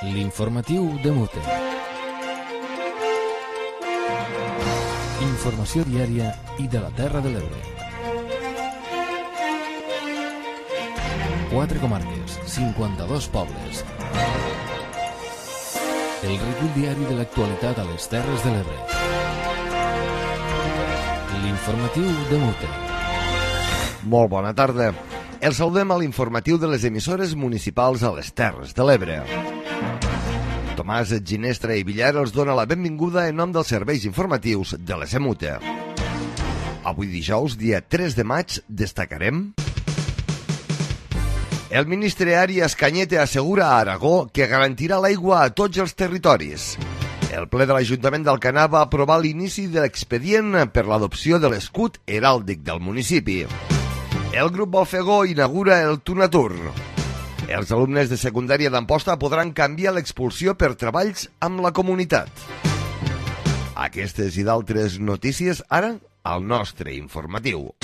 L'informatiu de Mute. Informació diària i de la Terra de l'Ebre. 4 comarques, 52 pobles. El recull diari de l'actualitat a les Terres de l'Ebre. L'informatiu de Mute. Molt bona tarda. El saludem a l'informatiu de les emissores municipals a les Terres de l'Ebre. Tomàs Ginestra i Villar els dona la benvinguda en nom dels serveis informatius de l'ESEMUTE. Avui dijous, dia 3 de maig, destacarem... El ministre Arias Cañete assegura a Aragó que garantirà l'aigua a tots els territoris. El ple de l'Ajuntament d'Alcanar va aprovar l'inici de l'expedient per l'adopció de l'escut heràldic del municipi. El grup Balfegó inaugura el Tunatur. Els alumnes de secundària d'Amposta podran canviar l'expulsió per treballs amb la comunitat. Aquestes i d'altres notícies ara al nostre informatiu.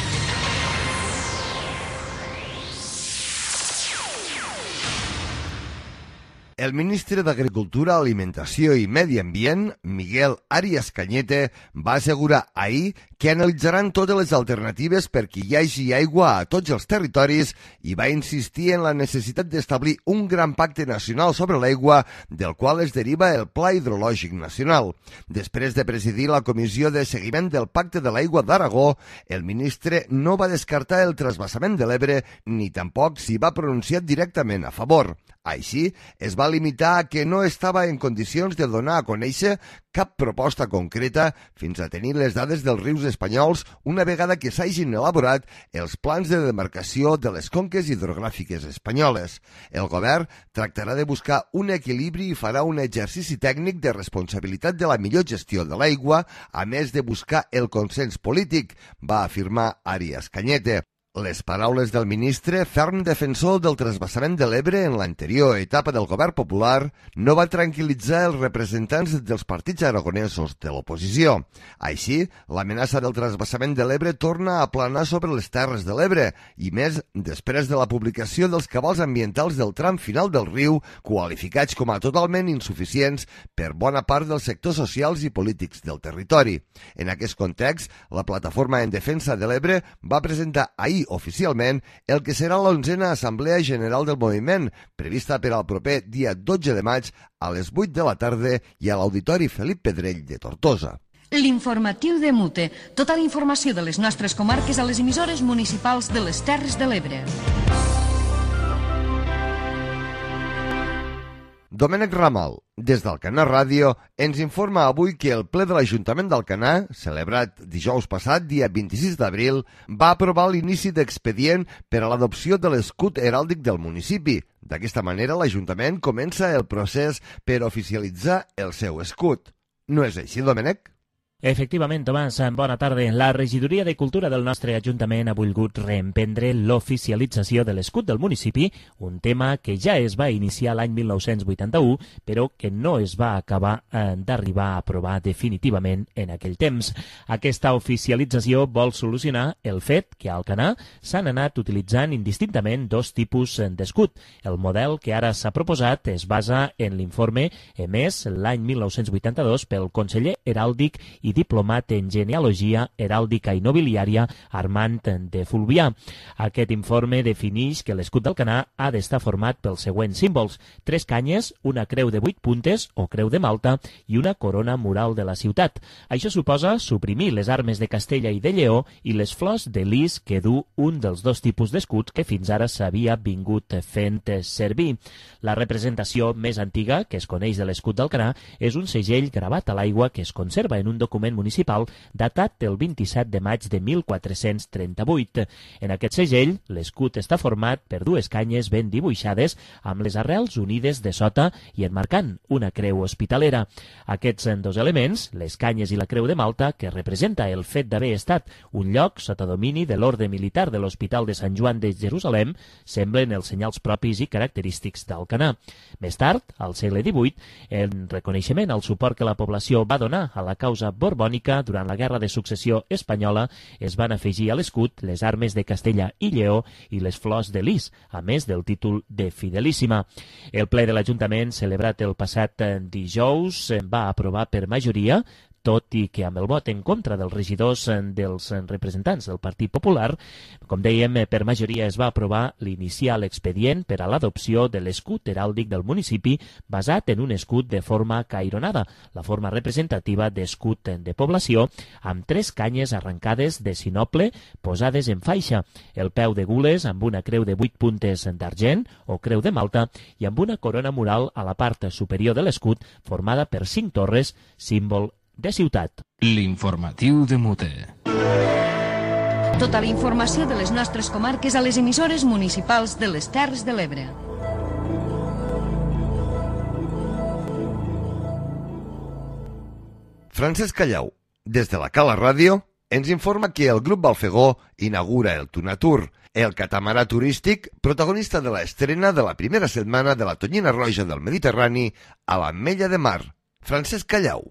El ministre d'Agricultura, Alimentació i Medi Ambient, Miguel Arias Cañete, va assegurar ahir que analitzaran totes les alternatives perquè hi hagi aigua a tots els territoris i va insistir en la necessitat d'establir un gran pacte nacional sobre l'aigua, del qual es deriva el Pla Hidrològic Nacional. Després de presidir la Comissió de Seguiment del Pacte de l'Aigua d'Aragó, el ministre no va descartar el transvasament de l'Ebre ni tampoc s'hi va pronunciar directament a favor. Així, es va limitar a que no estava en condicions de donar a conèixer cap proposta concreta fins a tenir les dades dels rius espanyols una vegada que s'hagin elaborat els plans de demarcació de les conques hidrogràfiques espanyoles. El govern tractarà de buscar un equilibri i farà un exercici tècnic de responsabilitat de la millor gestió de l'aigua, a més de buscar el consens polític, va afirmar Arias Cañete. Les paraules del ministre, ferm defensor del transvasament de l'Ebre en l'anterior etapa del govern popular, no va tranquil·litzar els representants dels partits aragonesos de l'oposició. Així, l'amenaça del transvasament de l'Ebre torna a planar sobre les Terres de l'Ebre, i més després de la publicació dels cabals ambientals del tram final del riu, qualificats com a totalment insuficients per bona part dels sectors socials i polítics del territori. En aquest context, la Plataforma en Defensa de l'Ebre va presentar ahir oficialment el que serà l'11a Assemblea General del Moviment, prevista per al proper dia 12 de maig a les 8 de la tarda i a l'Auditori Felip Pedrell de Tortosa. L'informatiu de Mute. Tota la informació de les nostres comarques a les emissores municipals de les Terres de l'Ebre. Domènec Ramal, des d'Alcanar Ràdio, ens informa avui que el ple de l'Ajuntament d'Alcanar, celebrat dijous passat, dia 26 d'abril, va aprovar l'inici d'expedient per a l'adopció de l'escut heràldic del municipi. D'aquesta manera, l'Ajuntament comença el procés per oficialitzar el seu escut. No és així, Domènec? Efectivament, Tomàs, bona tarda. La Regidoria de Cultura del nostre Ajuntament ha volgut reemprendre l'oficialització de l'escut del municipi, un tema que ja es va iniciar l'any 1981, però que no es va acabar d'arribar a aprovar definitivament en aquell temps. Aquesta oficialització vol solucionar el fet que a Alcanar s'han anat utilitzant indistintament dos tipus d'escut. El model que ara s'ha proposat es basa en l'informe emès l'any 1982 pel conseller heràldic i diplomat en genealogia heràldica i nobiliària Armand de Fulvià. Aquest informe defineix que l'escut d'Alcanar ha d'estar format pels següents símbols: 3 canyes, una creu de 8 puntes o creu de Malta i una corona mural de la ciutat. Això suposa suprimir les armes de Castella i de Lleó i les flors de lis que du un dels dos tipus d'escuts que fins ara s'havia vingut fent servir. La representació més antiga que es coneix de l'escut d'Alcanar és un segell gravat a l'aigua que es conserva en un document municipal datat del 27 de maig de 1438. En aquest segell, l'escut està format per 2 canyes ben dibuixades amb les arrels unides de sota i enmarcant una creu hospitalera. Aquests 2 elements, les canyes i la creu de Malta, que representa el fet d'haver estat un lloc sota domini de l'ordre militar de l'Hospital de Sant Joan de Jerusalem, semblen els senyals propis i característics d'Alcanar. Més tard, al segle XVIII, en reconeixement al suport que la població va donar a la causa borromànica, borbònica, durant la Guerra de Successió Espanyola es van afegir a l'escut les armes de Castella i Lleó i les flors de lis, a més del títol de Fidelíssima. El ple de l'Ajuntament, celebrat el passat dijous, va aprovar per majoria, tot i que amb el vot en contra dels regidors dels representants del Partit Popular, com dèiem, per majoria es va aprovar l'iniciar l'expedient per a l'adopció de l'escut heràldic del municipi basat en un escut de forma caironada, la forma representativa d'escut de població, amb 3 canyes arrencades de sinople posades en faixa, el peu de gules amb una creu de 8 puntes d'argent o creu de Malta i amb una corona mural a la part superior de l'escut formada per 5 torres, símbol de ciutat. L'informatiu de Mute. Tota la informació de les nostres comarques a les emissores municipals de les Terres de l'Ebre. Francesc Callau, des de la Cala Ràdio, ens informa que el Grup Balfegó inaugura el Tunatur, el catamarà turístic protagonista de l'estrena de la primera setmana de la Tonyina Roja del Mediterrani a l'Ametlla de Mar. Francesc Callau.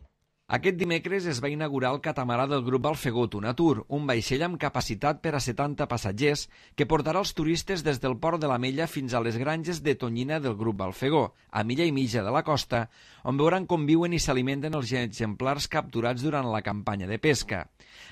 Aquest dimecres es va inaugurar el catamarà del grup Balfegó Tunatur, un vaixell amb capacitat per a 70 passatgers que portarà els turistes des del port de l'Ametlla fins a les granges de Tonyina del grup Balfegó, a milla i mitja de la costa, on veuran com viuen i s'alimenten els exemplars capturats durant la campanya de pesca.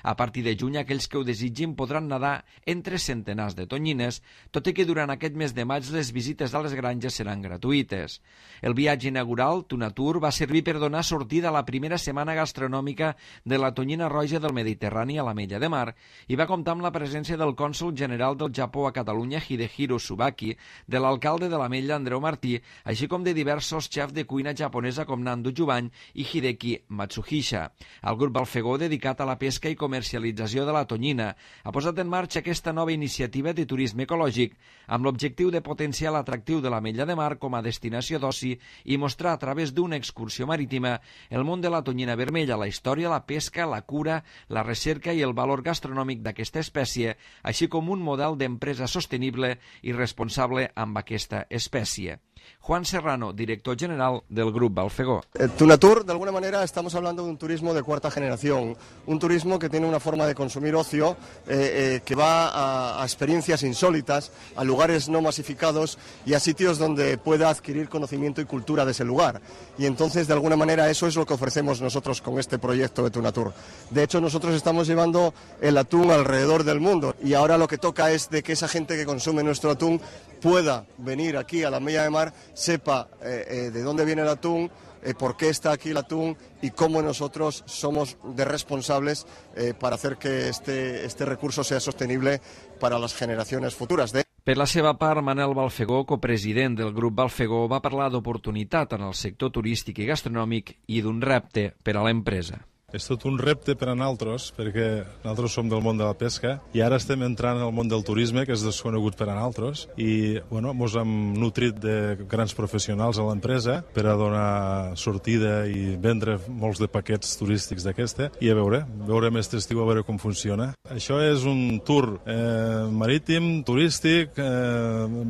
A partir de juny, aquells que ho desitgin podran nedar entre centenars de tonyines, tot i que durant aquest mes de maig les visites a les granges seran gratuïtes. El viatge inaugural, Tunatur, va servir per donar sortida a la primera setmana gastronòmica de la Tonyina Roja del Mediterrani a l'Ametlla de Mar i va comptar amb la presència del cònsol general del Japó a Catalunya, Hidehiro Subaki, de l'alcalde de l'Ametlla, Andreu Martí, així com de diversos xefs de cuina japonesa com Nando Jubany i Hideki Matsuhisha. El grup Balfegó, dedicat a la pesca i comercialització de la tonyina, ha posat en marxa aquesta nova iniciativa de turisme ecològic amb l'objectiu de potenciar l'atractiu de l'Ametlla de Mar com a destinació d'oci i mostrar a través d'una excursió marítima el món de la tonyina vermella, la història, la pesca, la cura, la recerca i el valor gastronòmic d'aquesta espècie, així com un model d'empresa sostenible i responsable amb aquesta espècie. Juan Serrano, director general del Grup Balfegó. Tunatur, de alguna manera, estamos hablando de un turismo de cuarta generación, un turismo que tiene una forma de consumir ocio que va a experiencias insólitas, a lugares no masificados y a sitios donde pueda adquirir conocimiento y cultura de ese lugar. Y entonces, de alguna manera, eso es lo que ofrecemos nosotros con este proyecto de Tunatur. De hecho, nosotros estamos llevando el atún alrededor del mundo y ahora lo que toca es de que esa gente que consume nuestro atún pueda venir aquí a la Ametlla de Mar, sepa de dónde viene el atún, por qué está aquí el atún y cómo nosotros somos de responsables para hacer que este recurso sea sostenible para las generaciones futuras. Per la seva part, Manel Balfegó, copresident del grup Balfegó, va parlar d'oportunitat en el sector turístic i gastronòmic i d'un repte per a l'empresa. És tot un repte per a nosaltres, perquè nosaltres som del món de la pesca i ara estem entrant al món del turisme, que és desconegut per a nosaltres, i ens hem nutrit de grans professionals a l'empresa per a donar sortida i vendre molts de paquets turístics d'aquesta, i a veure més estiu, a veure com funciona. Això és un tour marítim, turístic,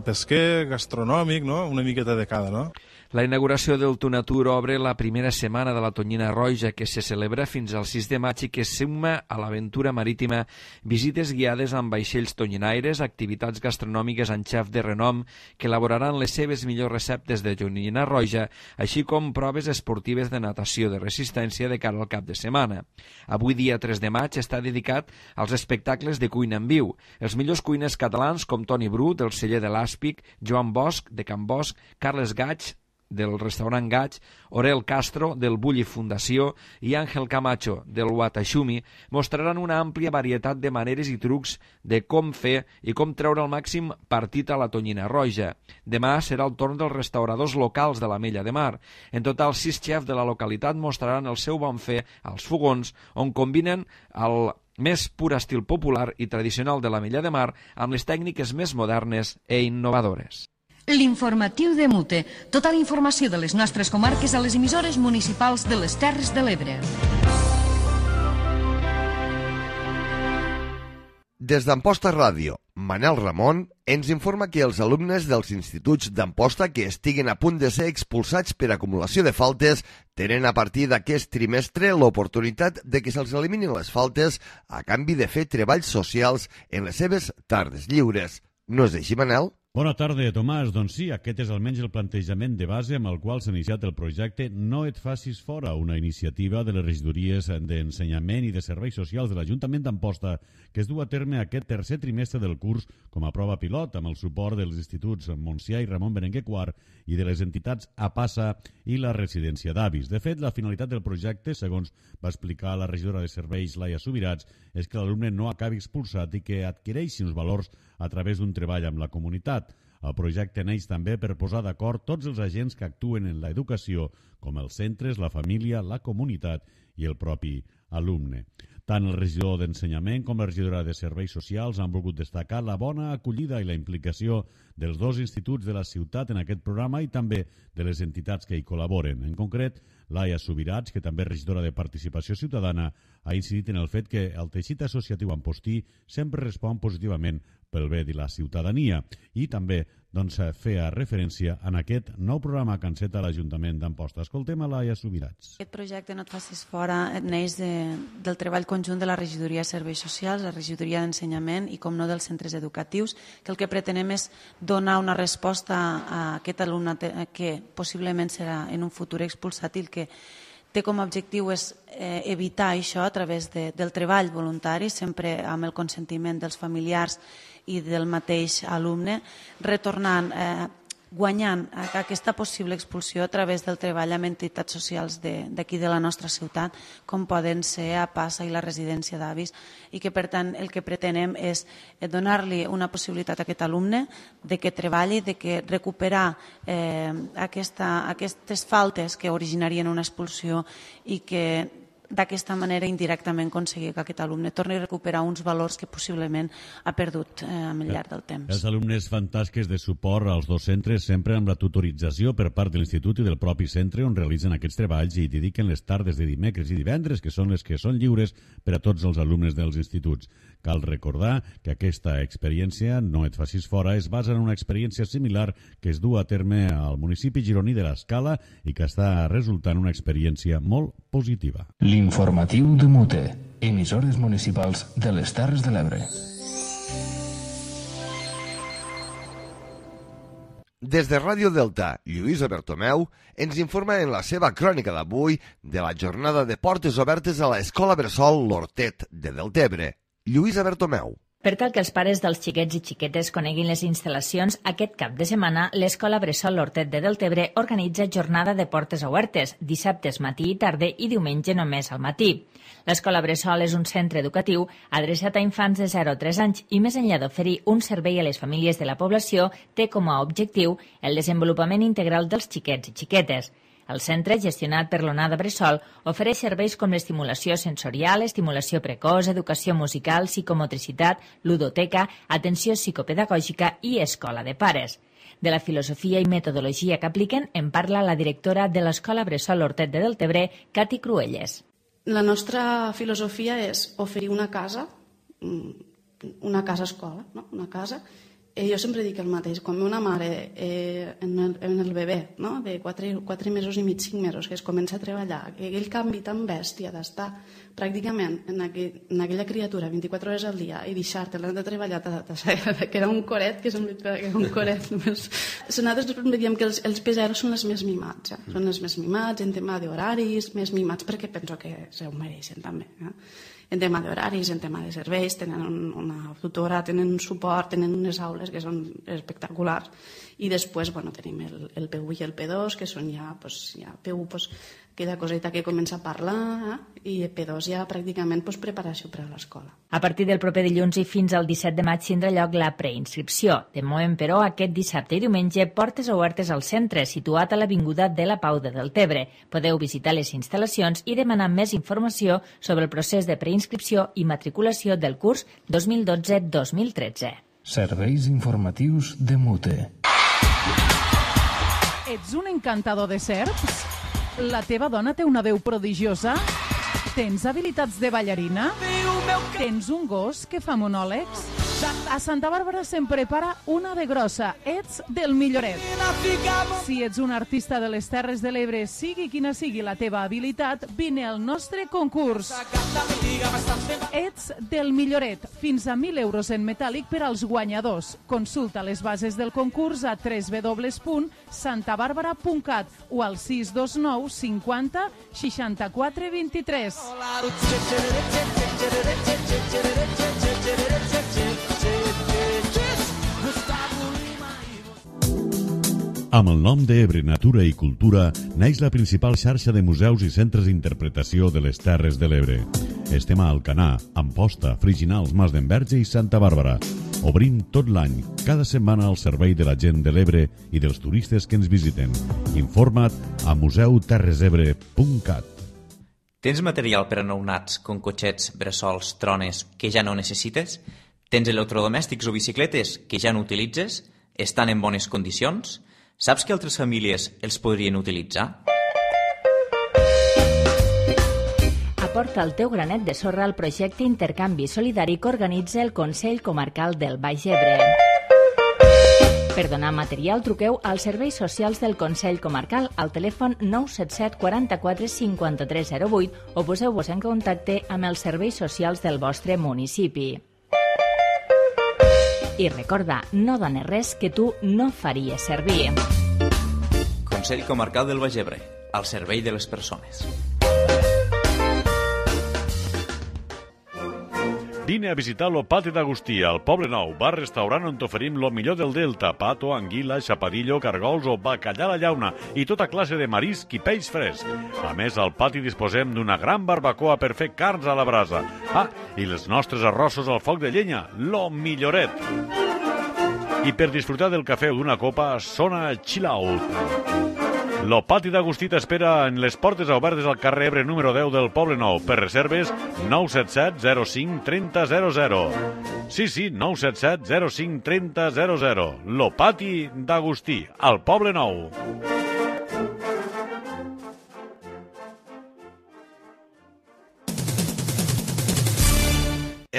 pesquer, gastronòmic, no? Una miqueta de cada, no? La inauguració del Tunatur obre la primera setmana de la Tonyina Roja, que se celebra fins al 6 de maig i que suma a l'aventura marítima visites guiades amb vaixells tonyinaires, activitats gastronòmiques amb xefs de renom que elaboraran les seves millors receptes de Tonyina Roja, així com proves esportives de natació de resistència de cara al cap de setmana. Avui, dia 3 de maig, està dedicat als espectacles de cuina en viu. Els millors cuiners catalans com Toni Bru, del celler de l'Àspic, Joan Bosch, de Can Bosch, Carles Gaig, del restaurant Gaig, Orel Castro, del Bulli Fundació, i Àngel Camacho, del Watashumi, mostraran una àmplia varietat de maneres i trucs de com fer i com treure el màxim partit a la Tonyina Roja. Demà serà el torn dels restauradors locals de l'Ametlla de Mar. En total, 6 xefs de la localitat mostraran el seu bon fer als fogons, on combinen el més pur estil popular i tradicional de l'Ametlla de Mar amb les tècniques més modernes e innovadores. L'informatiu de Mute. Tota la informació de les nostres comarques a les emissores municipals de les Terres de l'Ebre. Des d'Amposta Ràdio, Manel Ramon ens informa que els alumnes dels instituts d'Amposta que estiguen a punt de ser expulsats per acumulació de faltes tenen a partir d'aquest trimestre l'oportunitat de que se'ls eliminin les faltes a canvi de fer treballs socials en les seves tardes lliures. No és així, Manel? Bona tarda, Tomàs. Doncs sí, aquest és almenys el plantejament de base amb el qual s'ha iniciat el projecte No et facis fora, una iniciativa de les regidories d'Ensenyament i de Serveis Socials de l'Ajuntament d'Amposta que es du a terme aquest tercer trimestre del curs com a prova pilot amb el suport dels instituts Montsià i Ramon Berenguer IV i de les entitats APASA i la residència d'avis. De fet, la finalitat del projecte, segons va explicar la regidora de Serveis, Laia Subirats, és que l'alumne no acabi expulsat i que adquireixi uns valors a través d'un treball amb la comunitat. El projecte neix també per posar d'acord tots els agents que actuen en l'educació, com els centres, la família, la comunitat i el propi alumne. Tant el regidor d'Ensenyament com la regidora de Serveis Socials han volgut destacar la bona acollida i la implicació dels dos instituts de la ciutat en aquest programa i també de les entitats que hi col·laboren. En concret, Laia Subirats, que també és regidora de Participació Ciutadana, ha incidit en el fet que el teixit associatiu ampostí sempre respon positivament pel bé de la ciutadania i també feia referència en aquest nou programa que enceta l'Ajuntament d'Amposta. Escoltem a Laia Subirats. Aquest projecte No et facis fora neix del treball conjunt de la regidoria de Serveis Socials, la regidoria d'Ensenyament i, com no, dels centres educatius, que el que pretenem és donar una resposta a aquest alumne que possiblement serà en un futur expulsat i el que té com a objectiu és evitar això a través del treball voluntari, sempre amb el consentiment dels familiars i del mateix alumne, retornant, guanyant aquesta possible expulsió a través del treball amb entitats socials d'aquí de la nostra ciutat, com poden ser APASA i la residència d'avis, i que per tant el que pretenem és donar-li una possibilitat a aquest alumne de que treballi, de que recuperar aquestes faltes que originarien una expulsió i que d'aquesta manera indirectament aconseguir que aquest alumne torni a recuperar uns valors que possiblement ha perdut al llarg del temps. Els alumnes fan tasques de suport als dos centres sempre amb la tutorització per part de l'institut i del propi centre on realitzen aquests treballs i dediquen les tardes de dimecres i divendres, que són les que són lliures per a tots els alumnes dels instituts. Cal recordar que aquesta experiència, No et facis fora, es basa en una experiència similar que es du a terme al municipi gironí de l'Escala i que està resultant una experiència molt positiva. L'informatiu de Mute, emissores municipals de les Terres de l'Ebre. Des de Ràdio Delta, Lluïsa Bertomeu ens informa en la seva crònica d'avui de la jornada de portes obertes a l'Escola Bressol L'Hortet de Deltebre. Lluïsa Bertomeu. Per tal que els pares dels xiquets i xiquetes coneguin les instal·lacions, aquest cap de setmana l'Escola Bressol L'Hortet de Deltebre organitza jornada de portes obertes, dissabtes matí i tarda i diumenge només al matí. L'Escola Bressol és un centre educatiu adreçat a infants de 0 a 3 anys i més enllà d'oferir un servei a les famílies de la població, té com a objectiu el desenvolupament integral dels xiquets i xiquetes. El centre, gestionat per l'Onada Bressol, ofereix serveis com l'estimulació sensorial, estimulació precoç, educació musical, psicomotricitat, ludoteca, atenció psicopedagògica i escola de pares. De la filosofia i metodologia que apliquen en parla la directora de l'Escola Bressol L'Hortet de Deltebre, Cati Cruelles. La nostra filosofia és oferir una casa escola, no? Una casa. Jo sempre dic el mateix, quan una mare en el bebè, no? De 4 mesos i mig, 5 mesos, que es comença a treballar, aquell canvi tan bèstia d'estar pràcticament en aquella criatura 24 hores al dia i deixar-te l'any de treballar, que era un coret, que era un coret. Nosaltres diem que els peseros són els més mimats, són els més mimats en tema d'horaris, més mimats perquè penso que se ho mereixen també. En tema d'horaris, en tema de serveis, tenen una tutora, tenen un suport, tenen unes aules que són espectaculars. I després tenim el P1 i el P2, que són ja P1, aquella coseta que comença a parlar, i P2 ja pràcticament preparació per a l'escola. A partir del proper dilluns i fins al 17 de maig tindrà lloc la preinscripció. De moment, però, aquest dissabte i diumenge, portes obertes al centre, situat a l'Avinguda de la Pau de Deltebre. Podeu visitar les instal·lacions i demanar més informació sobre el procés de preinscripció i matriculació del curs 2012-2013. Serveis informatius de Mute. Ets un encantador de serps? La teva dona té una veu prodigiosa? Tens habilitats de ballarina? Tens un gos que fa monòlegs? A Santa Bàrbara se'n prepara una de grossa. Ets del Milloret. Si ets un artista de les Terres de l'Ebre, sigui quina sigui la teva habilitat, vine al nostre concurs. Ets del Milloret. Fins a 1.000 euros en metàl·lic per als guanyadors. Consulta les bases del concurs a www.santabarbara.cat o al 629 50 64 23. Amb el nom d'Ebre Natura i Cultura naix la principal xarxa de museus i centres d'interpretació de les Terres de l'Ebre. Estem a Alcanar, Amposta, Friginals, Mas d'Enverge i Santa Bàrbara. Obrim tot l'any, cada setmana al servei de la gent de l'Ebre i dels turistes que ens visiten. Informa't a museuterresebre.cat. Tens material per a nounats, com cotxets, bressols, trones, que ja no necessites? Tens electrodomèstics o bicicletes que ja no utilitzes? Estan en bones condicions? Saps que altres famílies els podrien utilitzar? Aporta el teu granet de sorra al projecte Intercanvi Solidari que organitza el Consell Comarcal del Baix Ebre. Per donar material, truqueu als serveis socials del Consell Comarcal al telèfon 977 44 53 08 o poseu-vos en contacte amb els serveis socials del vostre municipi. I recorda, no dones res que tu no faries servir. Consell Comarcal del Baix Ebre, al servei de les persones. Vine a visitar lo Pati d'Agustí, al Poble Nou, bar-restaurant on t'oferim lo millor del Delta, pato, anguila, xapadillo, cargols o bacallà a la llauna i tota classe de marisc i peix fresc. A més, al pati disposem d'una gran barbacoa per fer carns a la brasa. I els nostres arrossos al foc de llenya, lo Milloret. I per disfrutar del cafè o d'una copa, sona Chill Out. Lo Pati d'Agustí t'espera en les portes obertes al carrer Ebre número 10 del Poble Nou. Per reserves, 977 05 30 00. Sí, 977 05 30 00. Lo Pati d'Agustí, al Poble Nou.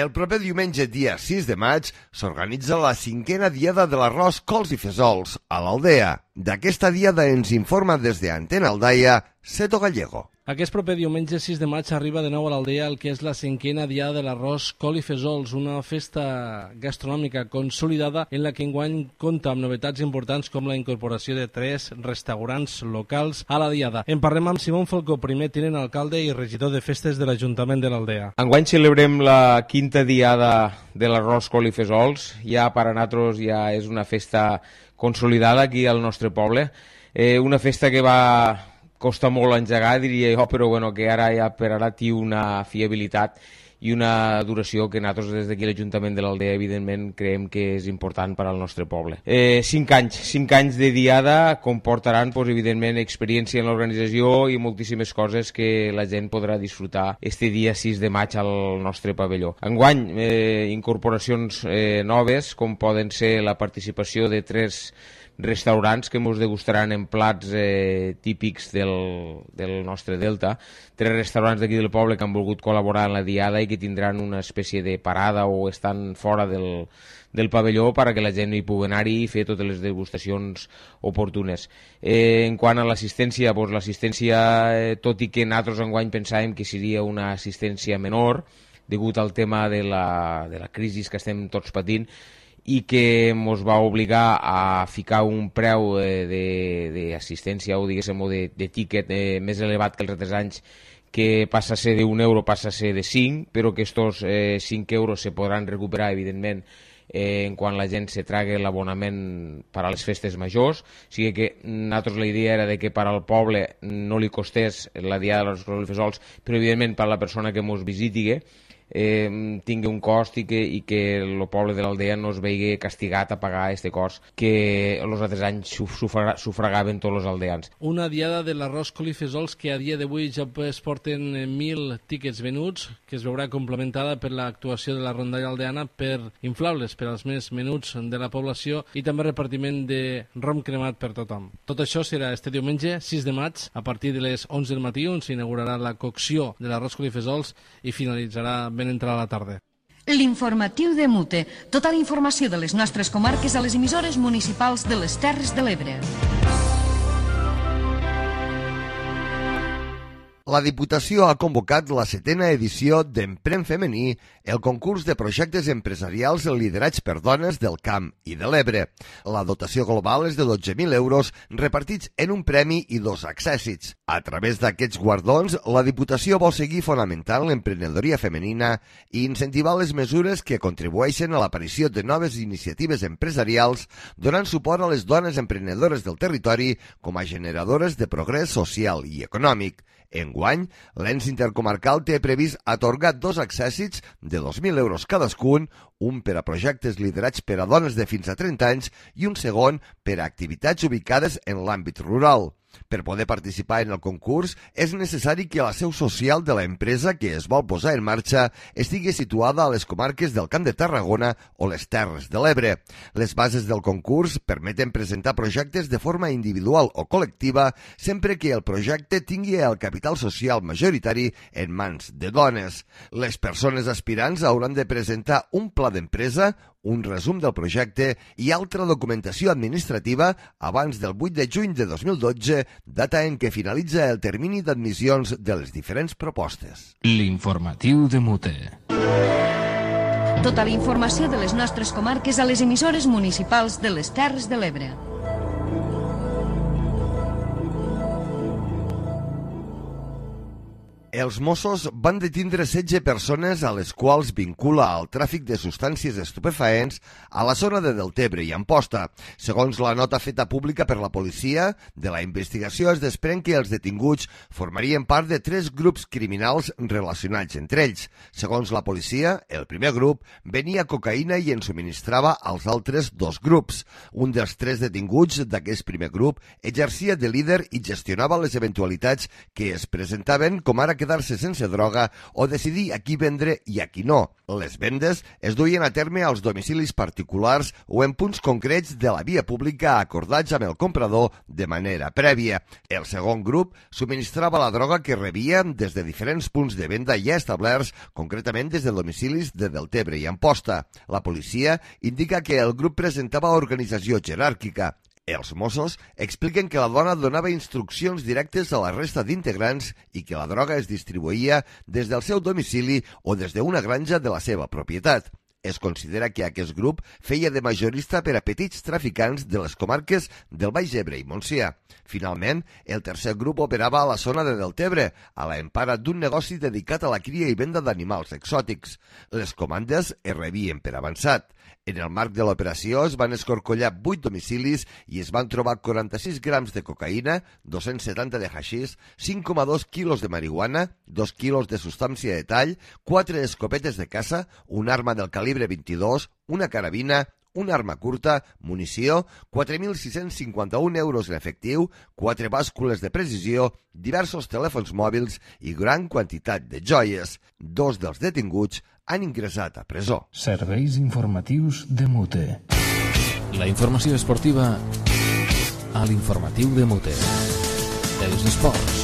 El proper diumenge, dia 6 de maig, s'organitza la 5a Diada de l'Arròs, Cols i Fesols a l'Aldea. D'aquesta diada ens informa des de Antena Aldaia, Seto Gallego. Aquest proper diumenge 6 de maig arriba de nou a l'Aldea el que és la 5a Diada de l'Arròs, Col i Fesols, una festa gastronòmica consolidada en la que enguany compta amb novetats importants com la incorporació de 3 restaurants locals a la Diada. En parlem amb Simón Falcó, primer tinent alcalde i regidor de festes de l'Ajuntament de l'Aldea. Enguany celebrem la 5a Diada de l'Arròs, Col i Fesols. Ja per a nosaltres ja és una festa consolidada aquí al nostre poble. Una festa que va costa molt engegar, diria jo, però bueno, que ara ja per ara té una fiabilitat i una duració que nosaltres des d'aquí l'Ajuntament de l'Aldea evidentment creiem que és important per al nostre poble. 5 anys de diada comportaran evidentment experiència en l'organització i moltíssimes coses que la gent podrà disfrutar este dia 6 de maig al nostre pavelló. Enguany, incorporacions noves, com poden ser la participació de 3 restaurants que ens degustaran en plats típics del nostre delta, 3 restaurants d'aquí del poble que han volgut col·laborar en la diada i que tindran una espècie de parada o estan fora del pavelló perquè la gent hi pugui anar-hi i fer totes les degustacions oportunes. En quant a l'assistència, l'assistència, tot i que nosaltres enguany pensàvem que seria una assistència menor degut al tema de la crisi que estem tots patint, i que ens va obligar a ficar un preu d'assistència o diguéssim de tíquet més elevat que els altres anys, que passa a ser d'1 euro, passa a ser de 5, però que estos 5 euros se podran recuperar evidentment quan la gent se trague l'abonament per a les festes majors. O sigui que nosaltres la idea era que per al poble no li costés la Diada de l'Arròs, Cols i Fesols, però evidentment per a la persona que ens visiti tingui un cost i que el poble de l'Aldea no es vegi castigat a pagar aquest cost que els altres anys sufragaven tots els aldeans. Una diada de l'Arròs, Col i Fesols que a dia d'avui ja es porten 1.000 tíquets venuts, que es veurà complementada per l'actuació de la rondalla aldeana per inflables per als més menuts de la població i també repartiment de rom cremat per tothom. Tot això serà este diumenge 6 de maig a partir de les 11 del matí, on s'inaugurarà la cocció de l'Arròs, Col i Fesols i finalitzarà ben entrada la tarda. L'informatiu de Mute. Tota la informació de les nostres comarques a les emissores municipals de les Terres de l'Ebre. La Diputació ha convocat la 7a edició d'Emprèn Femení, el concurs de projectes empresarials liderats per dones del Camp i de l'Ebre. La dotació global és de 12.000 euros repartits en un premi i 2 accèssits. A través d'aquests guardons, la Diputació vol seguir fonamentant l'emprenedoria femenina i incentivar les mesures que contribueixen a l'aparició de noves iniciatives empresarials, donant suport a les dones emprenedores del territori com a generadores de progrés social i econòmic. Enguany, l'ens intercomarcal té previst atorgar 2 accèssits de 2.000 euros cadascun, un per a projectes liderats per a dones de fins a 30 anys i un segon per a activitats ubicades en l'àmbit rural. Per poder participar en el concurs, és necessari que la seu social de l'empresa que es vol posar en marxa estigui situada a les comarques del Camp de Tarragona o les Terres de l'Ebre. Les bases del concurs permeten presentar projectes de forma individual o col·lectiva sempre que el projecte tingui el capital social majoritari en mans de dones. Les persones aspirants hauran de presentar un pla d'empresa, un resum del projecte i altra documentació administrativa abans del 8 de juny de 2012, data en què finalitza el termini d'admissions de les diferents propostes. L'informatiu de Mute. Tota la informació de les nostres comarques a les emissores municipals de les Terres de l'Ebre. Els Mossos van detindre 16 persones a les quals vincula al tràfic de substàncies estupefaents a la zona de Deltebre i Amposta. Segons la nota feta pública per la policia, de la investigació es desprèn que els detinguts formarien part de 3 grups criminals relacionats entre ells. Segons la policia, el primer grup venia cocaïna i en subministrava als altres 2 grups. Un dels 3 detinguts d'aquest primer grup exercia de líder i gestionava les eventualitats que es presentaven, com ara quedar-se sense droga o decidir a qui vendre i a qui no. Les vendes es duien a terme als domicilis particulars o en punts concrets de la via pública acordats amb el comprador de manera prèvia. El segon grup subministrava la droga que rebia des de diferents punts de venda ja establerts, concretament des de domicilis de Deltebre i Amposta. La policia indica que el grup presentava organització jeràrquica. Els Mossos expliquen que la dona donava instruccions directes a la resta d'integrants i que la droga es distribuïa des del seu domicili o des d'una granja de la seva propietat. Es considera que aquest grup feia de majorista per a petits traficants de les comarques del Baix Ebre i Montsià. Finalment, el tercer grup operava a la zona de Deltebre, a l'empara d'un negoci dedicat a la cria i venda d'animals exòtics. Les comandes es rebien per avançat. En el marc de l'operació es van escorcollar 8 domicilis i es van trobar 46 grams de cocaïna, 270 de haixís, 5,2 quilos de marihuana, 2 quilos de substància de tall, 4 escopetes de caça, un arma del calibre 22, una carabina, una arma curta, munició, 4.651 euros en efectiu, 4 bàscules de precisió, diversos telèfons mòbils i gran quantitat de joies. 2 dels detinguts han ingressat a presó. Serveis informatius de Mute. La informació esportiva a l'informatiu de Mute. Els esports.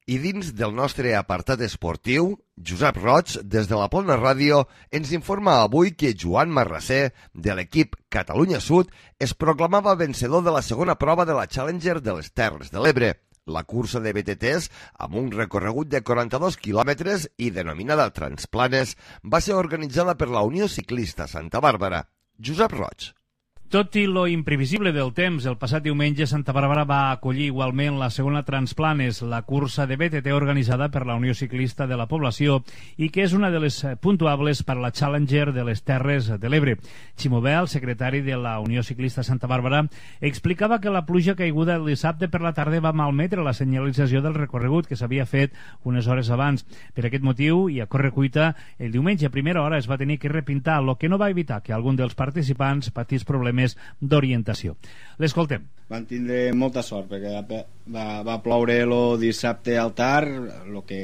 I dins del nostre apartat esportiu, Josep Roig, des de la Plana Ràdio, ens informa avui que Joan Marrasser, de l'equip Catalunya Sud, es proclamava vencedor de la segona prova de la Challenger de les Terres de l'Ebre. La cursa de BTTs, amb un recorregut de 42 quilòmetres i denominada Transplanes, va ser organitzada per la Unió Ciclista Santa Bàrbara. Josep Roig. Tot i lo imprevisible del temps, el passat diumenge Santa Bàrbara va acollir igualment la segona Transplanes, la cursa de BTT organitzada per la Unió Ciclista de la Població i que és una de les puntuables per a la Challenger de les Terres de l'Ebre. Ximo Bel, secretari de la Unió Ciclista Santa Bàrbara, explicava que la pluja caiguda el dissabte per la tarda va malmetre la senyalització del recorregut que s'havia fet unes hores abans. Per aquest motiu, i a correcuita, el diumenge a primera hora es va tenir que repintar, el que no va evitar que algun dels participants patís problemes d'orientació. L'escoltem. Van tindre molta sort perquè va ploure el dissabte al tard, el que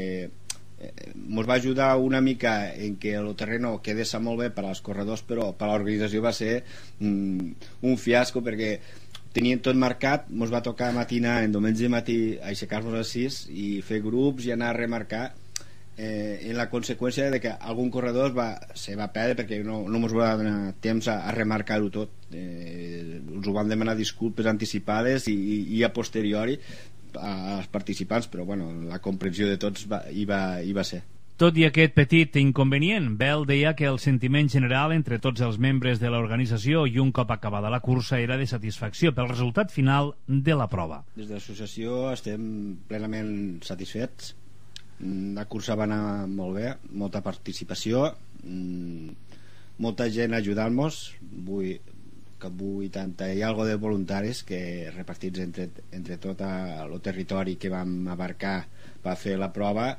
ens va ajudar una mica en que el terreno quedés molt bé per als corredors, però per a l'organització va ser un fiasco perquè tenien tot marcat. Ens va tocar matinar en diumenge matí, aixecar-nos a 6 i fer grups i anar a remarcar. en la conseqüència de que algun corredor se va perdre perquè no ens va donar temps a remarcar-ho tot. Ens ho van demanar disculpes anticipades i a posteriori als participants, però bueno, la comprensió de tots hi va ser. Tot i aquest petit inconvenient, Bell deia que el sentiment general entre tots els membres de l'organització i un cop acabada la cursa era de satisfacció pel resultat final de la prova. Des de l'associació estem plenament satisfets. La cursa va anar molt bé, molta participació, molta gent ajudant-nos, 80 i algo de voluntaris que repartits entre tot el territori que vam abarcar per fer la prova,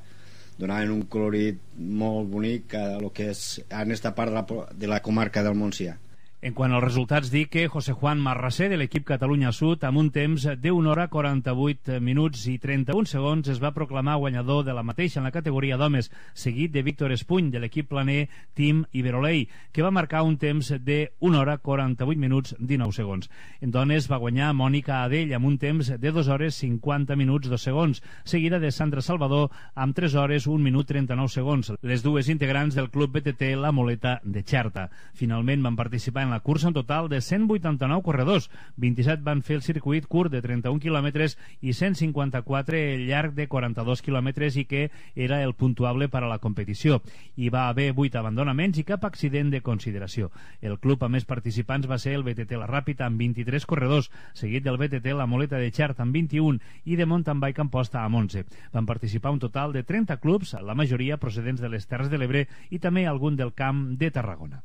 donaven un colorit molt bonic a lo que és en esta part de la comarca del Montsià. En quant als resultats, dic que José Juan Marrasé, de l'equip Catalunya Sud, amb un temps de 1 hora 48 minuts i 31 segons, es va proclamar guanyador de la mateixa en la categoria d'homes, seguit de Víctor Espuny, de l'equip planer Team Iberolei, que va marcar un temps de 1 hora 48 minuts 19 segons. En dones va guanyar Mònica Adell amb un temps de 2 hores 50 minuts 2 segons, seguida de Sandra Salvador amb 3 hores 1 minut 39 segons, les dues integrants del club BTT La Moleta de Xerta. Finalment van participar en la cursa un total de 189 corredors, 27 van fer el circuit curt de 31 quilòmetres i 154 el llarg de 42 quilòmetres i que era el puntuable per a la competició. Hi va haver 8 abandonaments i cap accident de consideració. El club amb més participants va ser el BTT La Ràpita amb 23 corredors, seguit del BTT La Moleta de Xert amb 21 i de Mountain Bike Amposta amb 11. Van participar un total de 30 clubs, la majoria procedents de les Terres de l'Ebre i també algun del Camp de Tarragona.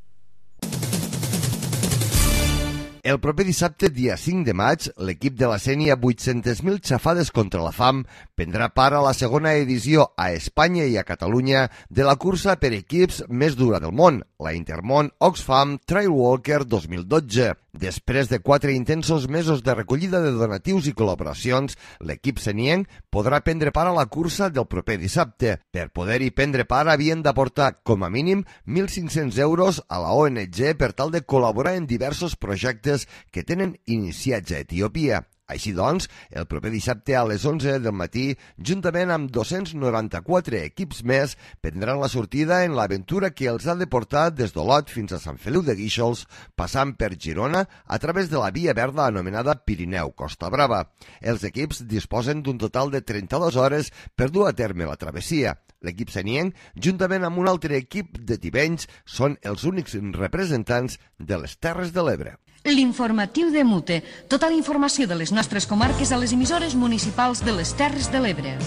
El proper dissabte, dia 5 de maig, l'equip de la Sénia 800.000 xafades contra la fam prendrà part a la segona edició a Espanya i a Catalunya de la cursa per equips més dura del món, la Intermón Oxfam Trail Walker 2012. Després de 4 intensos mesos de recollida de donatius i col·laboracions, l'equip senienc podrà prendre part a la cursa del proper dissabte. Per poder-hi prendre part havien d'aportar com a mínim 1.500 euros a la ONG per tal de col·laborar en diversos projectes que tenen iniciats a Etiòpia. Així doncs, el proper dissabte a les 11 del matí, juntament amb 294 equips més, prendran la sortida en l'aventura que els ha de portar des d'Olot fins a Sant Feliu de Guíxols, passant per Girona a través de la via verda anomenada Pirineu-Costa Brava. Els equips disposen d'un total de 32 hores per dur a terme la travessia. L'equip senienc, juntament amb un altre equip de tivenys, són els únics representants de les Terres de l'Ebre. L'informatiu de Mute. Tota la informació de les nostres comarques a les emissores municipals de les Terres de l'Ebre.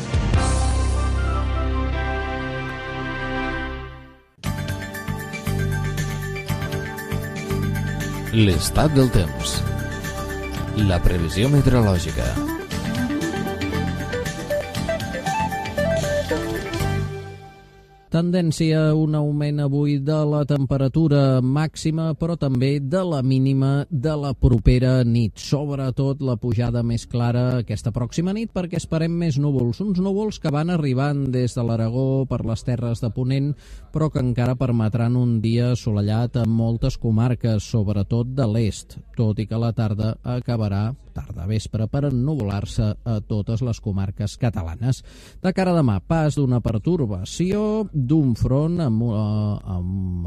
L'estat del temps. La previsió meteorològica. Tendència a un augment avui de la temperatura màxima, però també de la mínima de la propera nit. Sobretot la pujada més clara aquesta pròxima nit, perquè esperem més núvols. Uns núvols que van arribant des de l'Aragó per les terres de Ponent, però que encara permetran un dia assolellat en moltes comarques, sobretot de l'est, tot i que la tarda acabarà tarda-vespre per ennuvolar-se a totes les comarques catalanes. De cara a demà, pas d'una pertorbació, d'un front amb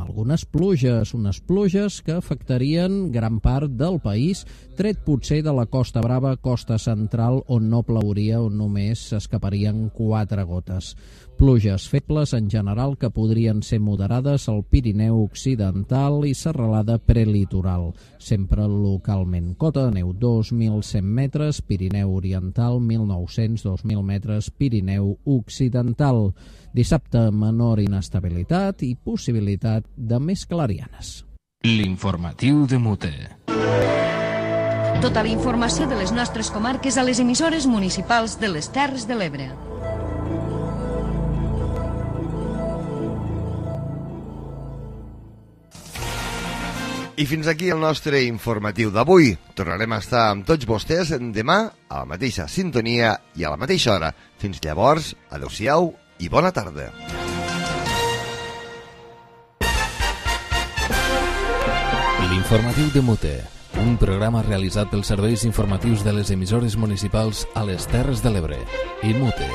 algunes pluges, unes pluges que afectarien gran part del país, tret potser de la Costa Brava, Costa Central, on no plauria, on només s'escaparien 4 gotes. Pluges febles en general que podrien ser moderades al Pirineu Occidental i serralada prelitoral, sempre localment. Cota de neu 2.100 metres, Pirineu Oriental 1.900-2.000 metres, Pirineu Occidental. Dissabte menor inestabilitat i possibilitat de més clarianes. L'informatiu de Mute. Tota la informació de les nostres comarques a les emissores municipals de les Terres de l'Ebre. I fins aquí el nostre informatiu d'avui. Tornarem a estar amb tots vostès demà a la mateixa sintonia i a la mateixa hora. Fins llavors, adeu-siau i bona tarda. L'informatiu de Mute, un programa realitzat pels serveis informatius de les emissores municipals a les Terres de l'Ebre i Mute.